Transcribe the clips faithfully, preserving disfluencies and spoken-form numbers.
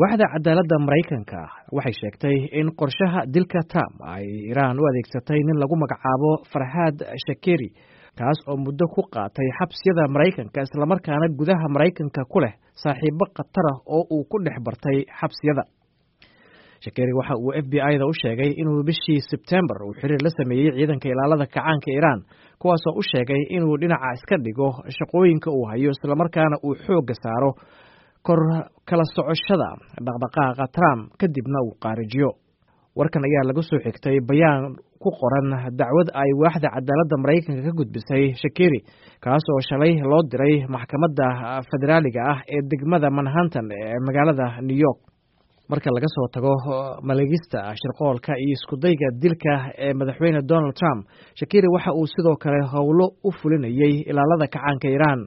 Waaxda cadaaladda Maraykanka waxay sheegtay in qorshaha dilka Trump ay Iiraan u adeegsatay nin lagu magacaabo Farxaad Shakeri, kaas oo muddo ku qaatay xabsiyada Maraykanka, islamarkaana gudaha Maraykanka ku leh saaxiibo khatar ah oo uu ku dhex bartay xabsiyada. Shakeri waxa uu F B I-da u sheegay inuu bishii Sebtembar uu xiriir la sameeyey ciidanka ilaalada kacaanka Iiraan, kuwaasoo u sheegay inuu dhinaca iska dhigo shaqooyinka uu hayo, islamarkaana uu xoogga saaro kor kala socoshada dhaqdhaqaaqa Trump, kadibna uu qaarijiyo. Warkan ayaa laga soo xigtay bayaan ku qoran dacwad ay waaxda cadaaladda Maraykanka ka gudbisay Shakeri, kaas oo shalay loo diray maxkamadda federaaliga ah ee degmada Manhattan ee magaalada New York. Marka laga soo tago maleegista shirqoolka iyo iskudayga dilka ee Madaxweyne Donald Trump, Shakeri waxa uu sidoo kale howlo u fulinayey ilaalada kacaanka Iiraan.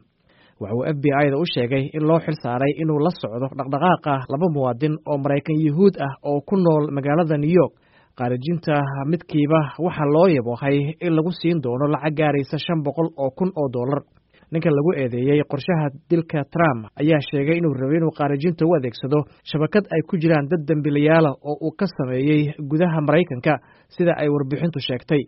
Waxa uu F B I-da u sheegay in loo xil saaray inuu la socdo dhaqdhaqaaqa laba muwaadin oo Maraykan Yuhuud ah oo ku nool magaalada New York. Qaarijinta midkiiba waxaa loo yaboohay in lagu siin doono lacag gaaraysa shan boqol oo kun oo dollar. Ninka lagu eedeeyey qorshaha dilka Trump ayaa sheegay inuu rabay inuu qaarijinta u adeegsado shabakad ay ku jiraan dad dembiilayaala oo uu ka sameeyey gudaha Maraykanka, sida ay warbixintu sheegtay.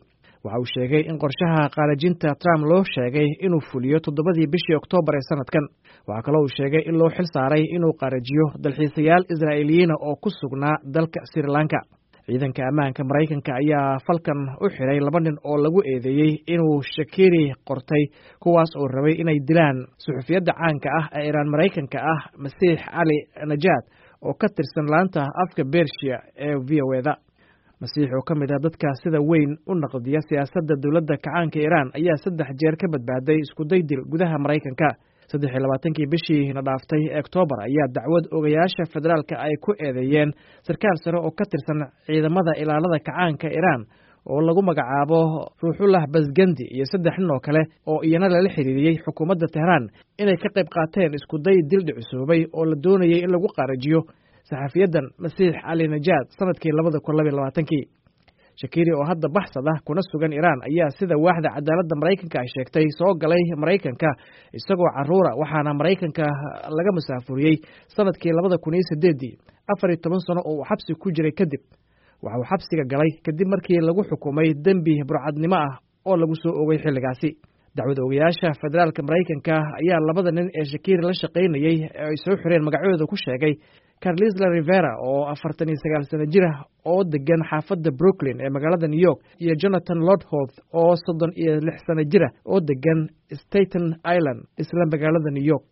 Waxa uu sheegay in qorshaha qaarijinta Trump loo sheegay inuu fuliyo toddobadii bishii Oktoobar ee sanadkan. Waxaa kaloo uu sheegay in loo xil saaray inuu qaarijiyo dalxiisayaal Israa'iiliyiina oo ku sugnaa dalka Sri Lanka. Ciidanka ammaanka Maraykanka ayaa falkan u xiray laba nin oo lagu eedeeyey inuu Shakeri qortay, kuwaas oo rabay inay dilaan suxufiyadda caanka ah ee Iiraan Maraykanka ah, Masiix Cali Najaad, oo ka tirsan laanta afka Bershiya ee V O A-da. Masiix, oo ka mid ah dadka sida weyn u naqdiya siyaasadda dowladda kacaanka Iiraan, ayaa saddex jeer ka badbaaday iskuday dil gudaha Maraykanka. Saddex iyo labaatankii bishii na dhaaftay ee Oktoobar ayaa dacwad ogayaasha federaalka ay ku eedeeyeen sarkaal sare oo ka tirsan ciidamada ilaalada kacaanka Iiraan oo lagu magacaabo Ruuxullah Basgandi iyo saddex nin oo kale oo iyana lala xiriiriyey xukuumadda Tehraan inay ka qayb qaateen iskuday dil dhicisoobay oo la doonayay in lagu qaarajiyo saxafiyadan Masiix Cali Najaad sanadkii labada kun labiyo labaatankii. Shakiri, oo hadda baxsad ah kuna sugan Iiraan, ayaa sida waaxda cadaaladda Maraykanka ay sheegtay soo galay Maraykanka isagoo caruura, waxaana Maraykanka laga masaafuriyey sanadkii labada kun iyo sideeddii, afar iyo toban sano oo uu xabsi ku jiray kadib. Waxa uu xabsiga galay kadib markii lagu xukumay dembi burcadnimo ah oo lagu soo ogay xilligaasi. Dacwad ogayaasha federaalka Maraykanka ayaa labada nin ee Shakiri la shaqaynayey ee ay soo xireen magacooda ku sheegay Carlisla Rivera, oo afartan iyo sagaal sano jir ah oo degan xaafadda Brooklyn ee magaalada New York, iyo Jonathan Lordhoth, oo soddon iyo lix sano jira oo degan Staten Island, isla magaalada New York.